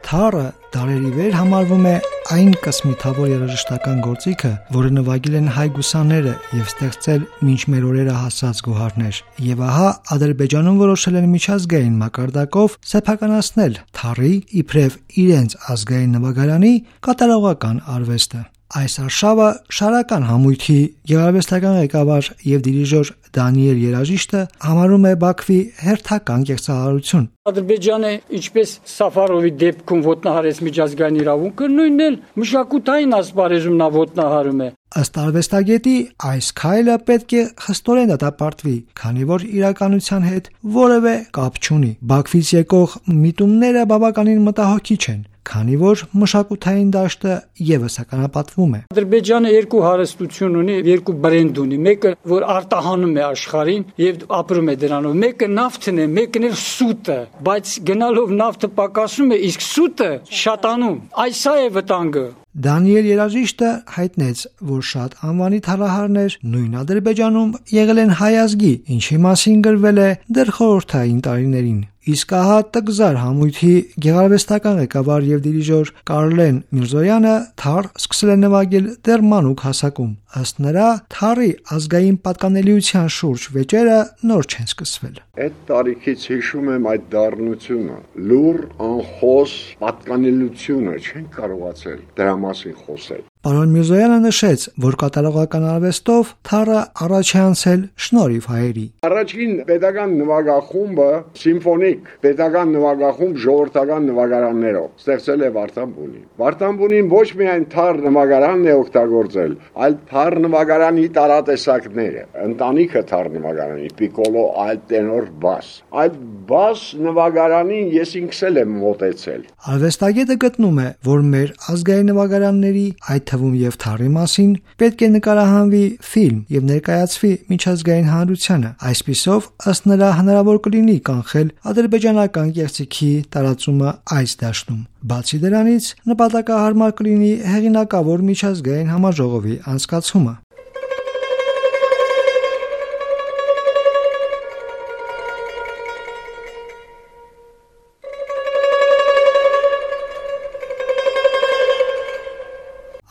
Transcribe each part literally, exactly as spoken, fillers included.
Թառը դարերի վեր համարվում է այն կսմիթավոր երաժշտական գործիքը, որը նվագել են հայ գուսանները եւ ստեղծել մինչ մեր օրերը հասած գոհարներ։ Եվ ահա Ադրբեջանում որոշել են միջազգային մակարդակով սեփականացնել թառի իբրև իրենց ազգային նվագարանի կատարողական արվեստը։ Այս արշավը շարական համույթի գեղարվեստական ղեկավար եւ դիրիժոր Դանիել Երաժիշտը համարում է Բաքվի հերթական կեղծարարություն։ Ադրբեջանը ինչպես Սաֆարովի դեպքում ոտնահարեց միջազգային իրավունքը, նույնն էլ մշակութային ասպարեզում նա ոտնահարում է։ Ըստ արվեստագետի, այս քայլը պետք է խստորեն դատապարտվի, քանի որ իրականության հետ որևէ կապ չունի։ Բաքվից եկող միտումները բավականին մտահոգիչ են, քանի որ մշակութային դաշտը եւս ականապատվում է։ Ադրբեջանը երկու հարստություն ունի, երկու բրենդ ունի, մեկը որ արտահանում է աշխարհին եւ ապրում է դրանով, մեկը նավթն է, մեկն էլ սուտը, բայց գնալով նավթը պակասում է, իսկ սուտը շատանում։ Այս է վտանգը։ Դանիել Երաժիշտը հայտնեց, որ շատ անվանի թալահարներ նույն Ադրբեջանում եղել են հայ ազգի, ինչի մասին գրվել է դեռ խորհրդային տարիներին։ Իսկ ահա տգզար համույթի գեղարվեստական ղեկավար եւ դիրիժոր Կարլեն Միրզոյանը թառ սկսել է նվագել դեռ մանուկ հասակում։ Ըստ նրա, թառի ազգային պատկանելիության շուրջ վեճերը նոր չեն սկսվել։ Այդ տարիքից հիշում եմ այդ դառնությունը, լուր անխոս պատկանելությունը չեն կարողացել դրա մասին խոսել։ Պարոն Միրզոյանը նշեց, որ կատարողական արվեստով թառը առաջ է անցել շնորհիվ հայերի։ Առաջին պետական նվագախումբը սիմֆոնիկ պետական նվագախումբ ժողովրդական նվագարաններով ստեղծել է Վարդանբունին։ Վարդանբունին ոչ միայն թառ նվագարանն է օգտագործել, այլ թառ նվագարանի տարատեսակները, ընտանիքը թառ նվագարանի, պիկոլո, այլ տենոր, բաս։ Այդ բաս նվագարանին ես ինքս էլ եմ մոտեցել։ Արվեստագետը գտնում է, որ մեր ազգային նվագարանների, այդ թվում եւ թառի մասին պետք է նկարահանվի ֆիլմ եւ ներկայացվի միջազգային հանրությանը։ Այսպիսով, ըստ նրա, հնարավոր կլինի կանխել ադրբեջանական կեղծիքի տարածումը այս դաշտում։ Բացի դրանից, նպատակահարմար կլինի հեղինակավոր միջազգային համաժողովի անցկացումը։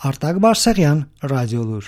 Արտակ Բարսեղյան, Ռադիոլուր։